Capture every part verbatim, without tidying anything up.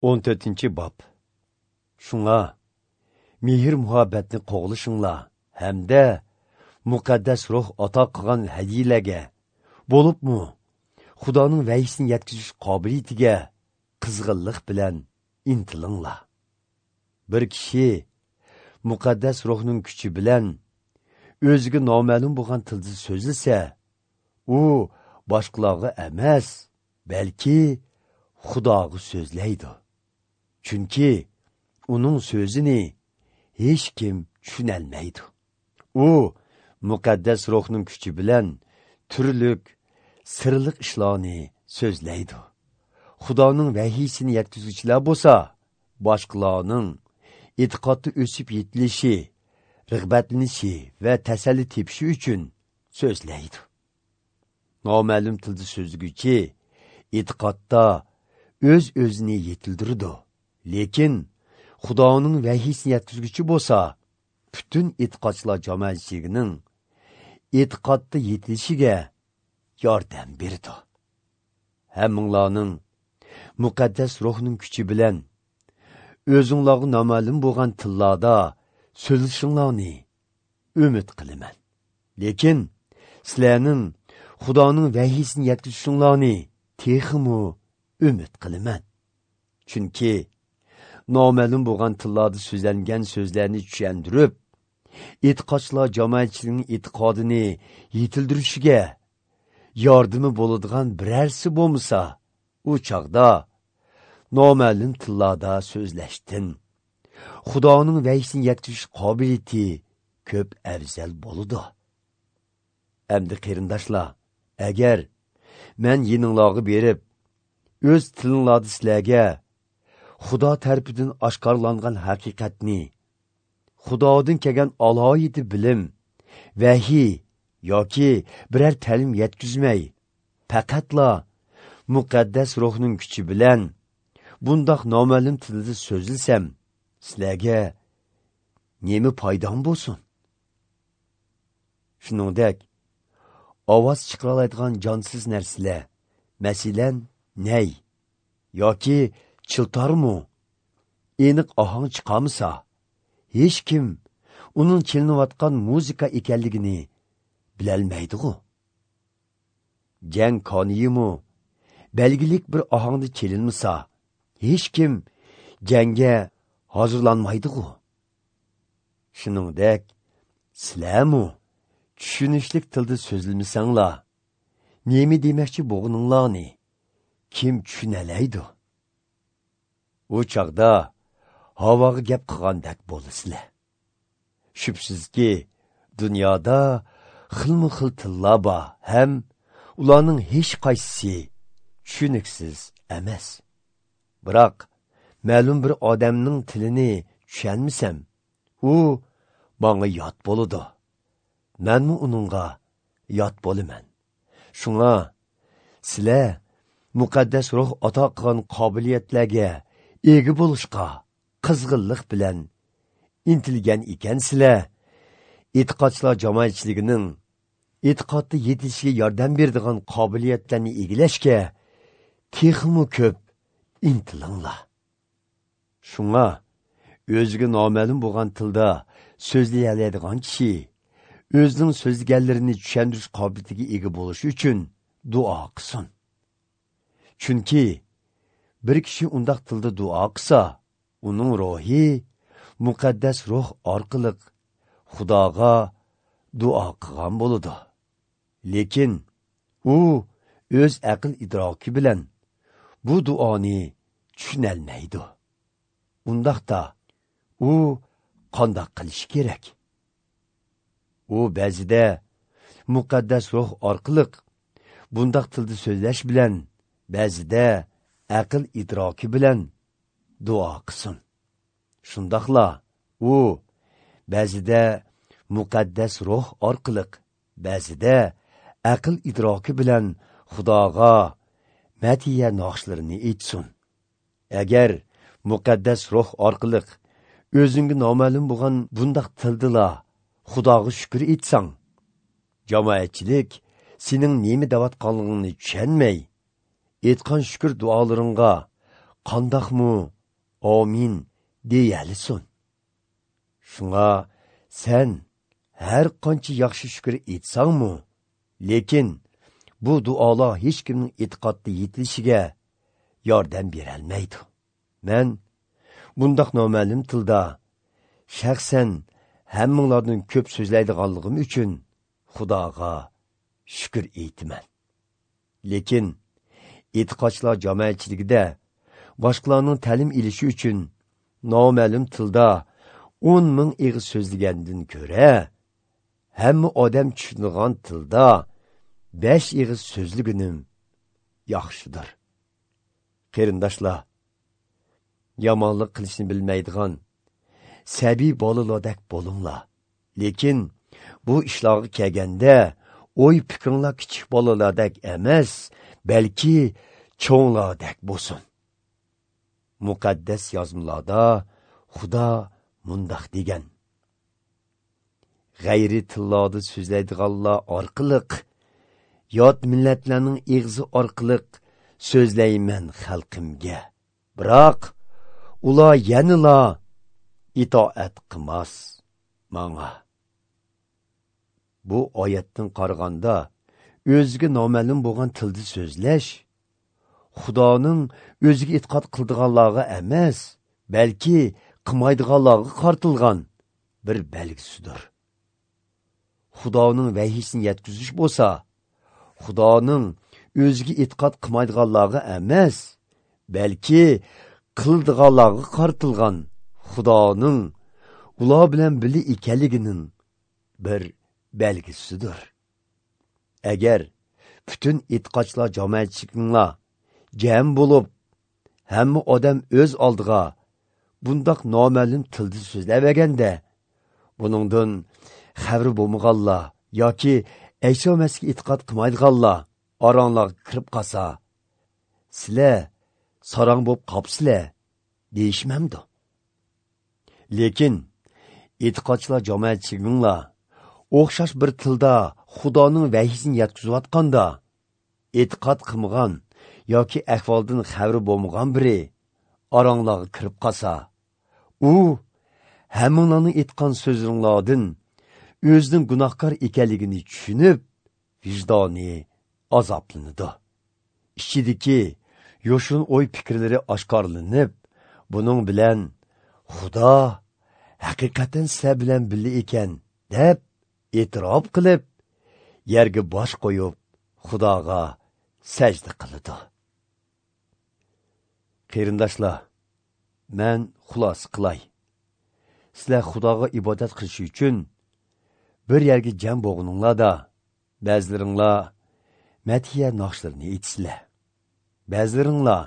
o'n to'rtinchi bob. Shunga mehr muhabbatni qo'g'lishinglar hamda muqaddas ruh ato qilgan hadiyalarga, bo'libmi Xudoning vahyisini yetkazish qobiliyatiga qizg'inlik bilan intilinglar. Bir kishi muqaddas ruhning kuchi bilan o'ziga noma'lum bo'lgan tilda so'zlasa, u boshqalarga emas, balki Xudoga so'zlaydi. Chunki uning so'zini hech kim tushunolmaydi. U muqaddas ruhning kuchi bilan turli sirliq ishlarni so'zlaydi. Xudoning vahiysini yetkazuvchilar bo'lsa, boshqalarning e'tiqodda o'sib yetilishi, rag'batlanishi va tasalli tepishi uchun so'zlaydi. Noma'lum tilda so'zlaguvchi e'tiqodda o'z-o'zini yetildirdi. Lekin Xudoning vahiysini yetkazuvchi bo'lsa, butun e'tiqodchilar jamoatchiligining e'tiqodda yetilishiga yordam berdi. Hammanglarning muqaddas ruhning kuchi bilan o'zinglarga noma'lum bo'lgan tillarda so'zlashinglarni umid qilaman. Lekin sizlarning Xudoning vahiysini yetkazishinglarni texmi umid qilaman. Chunki noma'lum bo'lgan tillarda so'zlangan so'zlarni tushuntirib, e'tiqodchilar jamoatchiligining e'tiqodini yetildirishiga yordami bo'ladigan birarsi bo'lmasa, u chog'da noma'lum tillarda so'zlashdan Xudoning vahiysini yetkazish qobiliyati ko'p afzal bo'ladi. Endi qarindoshlar, agar men yeninglarga berib, o'z tilinglarda sizlarga Xudo tarafidan oshkorlangan haqiqatni, Xudodan kelgan alohida bilim, vahiy yoki biror ta'lim yetkazmay, faqatla muqaddas ruhning kuchi bilan bundoq noma'lum tilda so'zlasam, sizlarga nima foydam bo'lsin? Shuningdek, ovoz chiqara oladigan jonsiz narsalar, masalan, nay yoki chiltormi aniq ohang chiqarmasa, hech kim uning chalinayotgan muzika ekanligini bilolmaydi-ku. Jang koniyimi belgilik bir ohangda chalinmasa, hech kim jangga hozirlanmaydi-ku. Shuningdek, sizlarmi tushunishlik tilda so'zlamasanglar, nima demoqchi bo'lganinglarni kim tushunalaydi? U chog'da havoga gap qilgandek bo'lasizlar. Shubsizki, dunyoda xilma-xil tillar bor, ham ularning hech qaysisi tushuniksiz emas. Biroq ma'lum bir odamning tilini tushunmasam, u menga yot bo'ladi. Menmi uningga yot bo'laman. Shunga sizlar muqaddas ruh ato qilgan qobiliyatlarga ega bo'lishga qizg'inlik bilan intilgan ekansizlar, e'tiqodchilar jamoatchiligining e'tiqodda yetilishiga yordam beradigan qobiliyatlarni egallashga texmi ko'p intilinglar. Shunga o'ziga noma'lum bo'lgan tilda so'zlay oladigan kishi o'zining so'zlaganlarini tushuntirish qobiliyatiga ega bo'lishi uchun duo qilsin. Chunki bir kishi undoq tilda duo qilsa, uning ruhi muqaddas ruh orqali Xudoga duo qilgan bo'ladi. Lekin u o'z aql idroki bilan bu duoni tushunolmaydi. Undaqda u qandoq qilishi kerak? U ba'zida muqaddas ruh orqali bundoq tilda so'zlash bilan, ba'zida aql idroki bilan duo qilsin. Shundoqla u ba'zida muqaddas ruh orqali, ba'zida aql idroki bilan Xudoga matiya naqshlarini aytsin. Agar muqaddas ruh orqali o'zingga noma'lum bo'lgan bundoq tildila Xudoga shukr etsang, jamoatchilik sening nima deyotganligingni tushunmay, aytgan shukr duolaringga qandoqmi amin deyalisin? Shunga sen har qancha yaxshi shukr etsangmi, lekin bu duolar hech kimning e'tiqodda yetilishiga yordam berolmaydi. Men bundoq noma'lum tilda shaxsan hammanglardan ko'p so'zlaydiganligim uchun Xudoga shukr aytaman. Lekin e'tiqodchilar jamoatchiligida boshqalarning ta'lim ilishi uchun noma'lum tilda o'n ming ig'iz so'zlagandan ko'ra, hamma odam tushunadigan tilda besh ig'iz so'zligunim yaxshidir. Qarindoshlar, yomonlik qilishni bilmaydigan sabiy bolalardek bo'linglar. Lekin bu ishlarga kelganda o'y fikringlar kichik bolalardek emas, balki cho'nglardek bo'lsin. Muqaddas yozmalarda Xudo mundoq degan: g'ayri tillarda so'zlaydiganlar orqaliq, yot millatlarning ig'zi orqaliq so'zlayman xalqimga. Biroq ular yanala itoat qilmas manga. Bu oyatdan qaraganda o'ziga noma'lum bo'lgan tilda so'zlash Xudoning o'ziga e'tiqod qildiganlarga emas, balki qilmaydiganlarga qartilgan bir belgisidir. Xudoning vahiysini yetkazish bo'lsa, Xudoning o'ziga e'tiqod qilmaydiganlarga emas, balki qildiganlarga qartilgan Xudoning ular bilan birga ekanligining bir belgisidir. Agar bütün e'tiqodchilar jamoatchiliklar jam bo'lib, hamma odam o'z oldiga bundoq noma'lum tilda so'zlamaganda, buningdan xabari bo'lmaganlar yoki Ayso Masihga e'tiqod qilmaydiganlar oranglarga kirib qolsa, sizlar sarang bo'lib qolibsizlar deyishmamdi. Lekin e'tiqodchilar jamoatchiliginglar o'xshash bir tilda Xudoning vahiysini yetkazayotganda, e'tiqod qilmagan yoki ahvoldan xabari bo'lmagan biri oranglarga kirib qolsa, u hammanglarning aytgan so'zinglardan o'zining gunohkor ekanligini tushunib, vijdoni azoblanadi. Ichidagi yo'shin o'y fikrlari oshkorlanib, buning bilan Xudo haqiqatan sizlar bilan birga ekan deb e'tirof qilib, yerga bosh qo'yib, Xudoga sajda qiladi. Qarindoshlar, men xulosa qilay. Sizlar Xudoga ibodat qilish uchun bir yerga jam bo'lganinglarda, ba'zilaringlar madhiya naqshlarini aytsizlar, ba'zilaringlar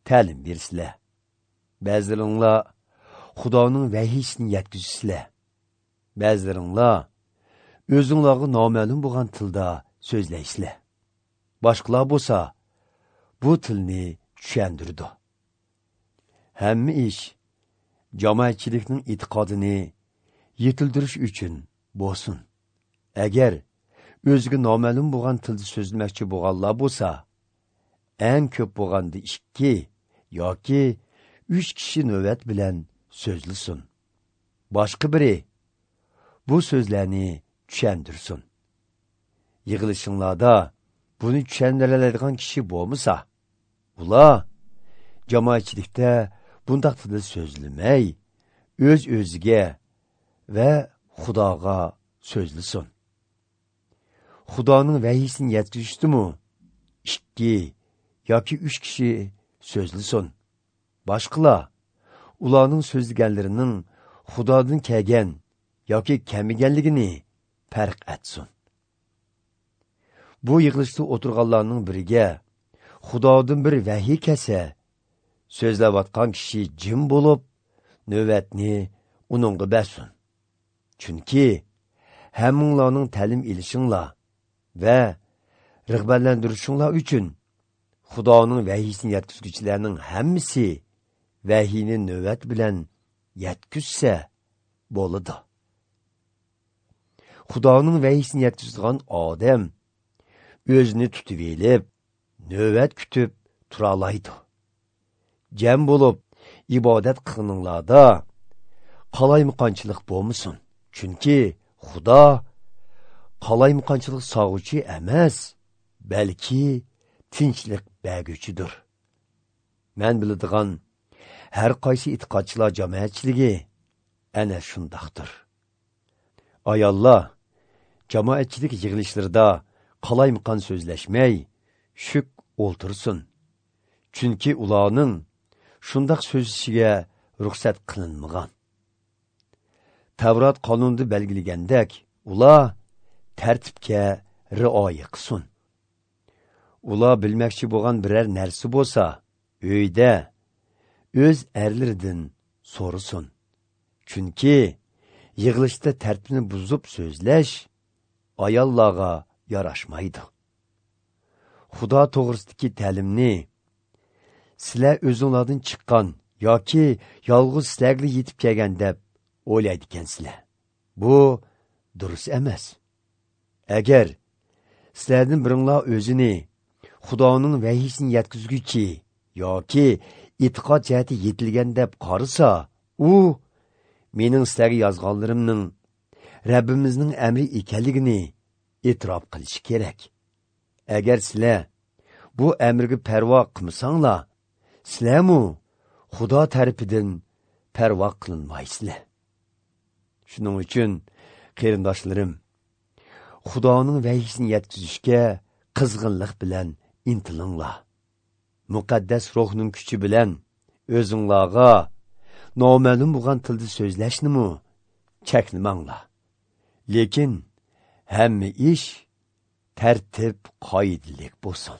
ta'lim bersizlar, ba'zilaringlar Xudoning vahiysini yetkazsizlar, ba'zilaringlar o'zinglarga noma'lum bo'lgan tilda so'zlaysizlar. Boshqalar bo'lsa bu tilni tushundirdi. Hamma ish jamoatchilikning e'tiqodini yetildirish uchun bo'lsin. Agar o'ziga noma'lum bo'lgan tilda so'zlamoqchi bo'lganlar bo'lsa, eng ko'p bo'lganda ikki yoki uch kishi navbat bilan so'zlasin. Boshqa biri bu so'zlarni tushundirsin. Yig'ilishinglarda buni tushundiradigan kishi bo'lmasa, ular jamoatchilikda bundoq tilda so'zlamay, o'z-o'ziga va Xudoga so'zlasin. Xudoning vahiysini yetkazishdimi ikki yoki uch kishi so'zlasin. Boshqalar ularning so'zlaganlarining Xudodan kelgan yoki kelmaganligini farq etsin. Bu yig'ilishda o'tirganlarning biriga Xudodan bir vahiy kelsa, so'zlayotgan kishi jim bo'lib, navbatni uningga bersin. Chunki hammanglarning ta'lim ilishinglar va rag'batlantirishinglar uchun Xudoning vahiysini yetkazuvchilarning hammasi vahiyni navbat bilan yetkazsa bo'ladi. Xudoning vahiysini yetkazadigan odam o'zini tutib elib, navbat kutib tura oladi. jam bo'lib ibodat qilinglarda qalaymaqonchilik bo'lmasin. Chunki Xudo qalaymaqonchilik sog'uvchi emas, balki tinchlik berguvchidir. Men biladigan har qaysi e'tiqodchilar jamoatchiligi ana shundoqdir. Ayollar jamoatchilik yig'ilishlarida qalaymaqon so'zlashmay, shuk o'ltirsin. Chunki ularning shundoq so'zlashiga ruxsat qilinmagan. Tavrat qonunida belgilagandek, ular tartibga rioya qilsin. Ular bilmoqchi bo'lgan biror narsa bo'lsa, uyda o'z erlaridan so'rasin. Chunki yig'ilishda tartibni buzib so'zlash ayollarga yarashmaydi. Xudo to'g'risidagi ta'limni sizlar o'zinglardan chiqqan yoki yolg'iz sizlarga yetib kelgan deb o'ylaydi ekansizlar. Bu durust emas. Agar sizlardan biringlar o'zini Xudoning vahiysini yetkazguchi yoki e'tiqod jihati yetilgan deb qarasa, u mening sizlarga yozganlarimning Rabbimizning amri ekanligini e'tirof qilishi kerak. Agar sizlar bu amrga parvo qilmasanglar, sizlarmu Xudo tarafidan parvo qilinmaysizlar. Shuning uchun qarindoshlarim, Xudoning vahiysini yetkazishga qizg'inlik bilan intilinglar. Muqaddas ruhning kuchi bilan o'zinglarga noma'lum bo'lgan tilda so'zlashnimi cheklamanglar. Lekin hamma ish tartib qoidalik bo'lsin.